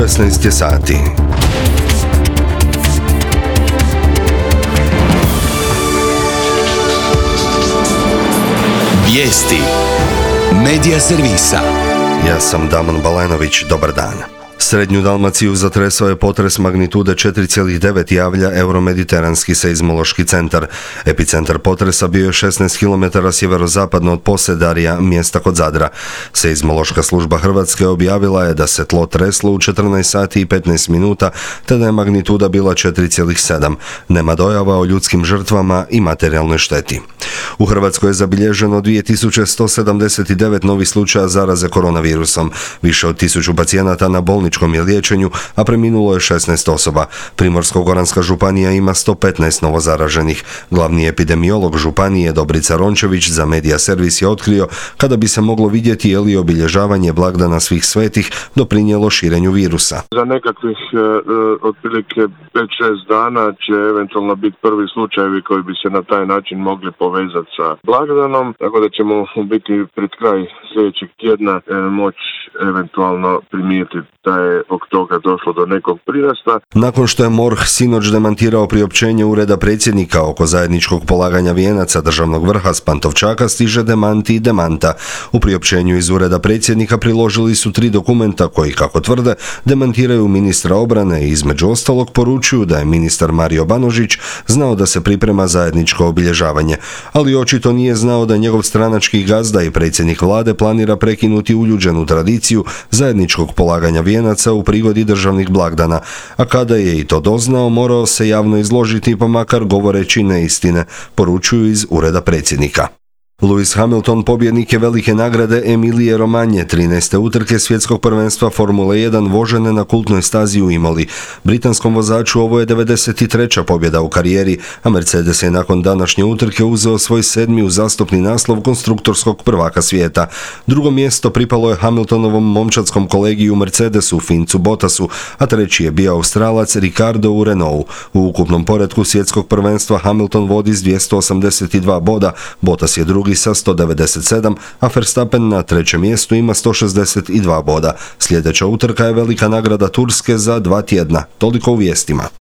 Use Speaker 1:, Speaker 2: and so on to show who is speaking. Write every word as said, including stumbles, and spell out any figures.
Speaker 1: šesnaest je sati.
Speaker 2: Vijesti Medija servisa.
Speaker 1: Ja sam Damon Balenović, dobar dan. Srednju Dalmaciju zatresao je potres magnitude četiri zarez devet, javlja Euromediteranski seizmološki centar. Epicentar potresa bio je šesnaest kilometara sjeverozapadno od Posedarja, mjesta kod Zadra. Seizmološka služba Hrvatske objavila je da se tlo treslo u četrnaest sati i petnaest minuta, te da je magnituda bila četiri zarez sedam. Nema dojava o ljudskim žrtvama i materijalnoj šteti. U Hrvatskoj je zabilježeno dvije tisuće sto sedamdeset devet novih slučaja zaraze koronavirusom. Više od tisuću pacijenata na bolničkom je liječenju, a preminulo je šesnaest osoba. Primorsko-goranska županija ima sto petnaest novozaraženih. Glavni epidemiolog županije Dobrica Rončević za Medija servis je otkrio kada bi se moglo vidjeti je li obilježavanje blagdana svih svetih doprinijelo širenju virusa.
Speaker 3: Za nekakvih e, otprilike pet šest dana će eventualno biti prvi slučajevi koji bi se na taj način mogli povezati sa blagdanom, tako da ćemo biti pred kraj sljedećeg tjedna e, moći eventualno primijetiti da je od toga došlo do nekog prirasta.
Speaker 1: Nakon što je MORH sinoć demantirao priopćenje Ureda predsjednika oko zajedničkog polaganja vijenaca državnog vrha s Pantovčaka, stiže demanti i demanta. U priopćenju iz Ureda predsjednika priložili su tri dokumenta koji, kako tvrde, demantiraju ministra obrane i između ostalog poručuju da je ministar Mario Banožić znao da se priprema zajedničko obilježavanje, ali očito nije znao da njegov stranački gazda i predsjednik vlade planira prekinuti uljuđenu tradiciju zajedničkog polaganja vijenaca u prigodi državnih blagdana, a kada je i to doznao, morao se javno izložiti pa makar govoreći neistine, poručuju iz Ureda predsjednika. Lewis Hamilton pobjednik je velike nagrade Emilije Romanje, trinaeste utrke svjetskog prvenstva Formule jedan vožene na kultnoj stazi u Imoli. Britanskom vozaču ovo je devedeset treća pobjeda u karijeri, a Mercedes je nakon današnje utrke uzeo svoj sedmi uzastopni naslov konstruktorskog prvaka svijeta. Drugo mjesto pripalo je Hamiltonovom momčadskom kolegiju Mercedesu, Fincu Bottasu, a treći je bio Australac Ricardo u Renaultu. U ukupnom poretku svjetskog prvenstva Hamilton vodi s dvjesto osamdeset dva boda, Bottas je drugi sa sto devedeset sedam, a Verstappen na trećem mjestu ima sto šezdeset dva boda. Sljedeća utrka je velika nagrada Turske za dva tjedna. Toliko u vijestima.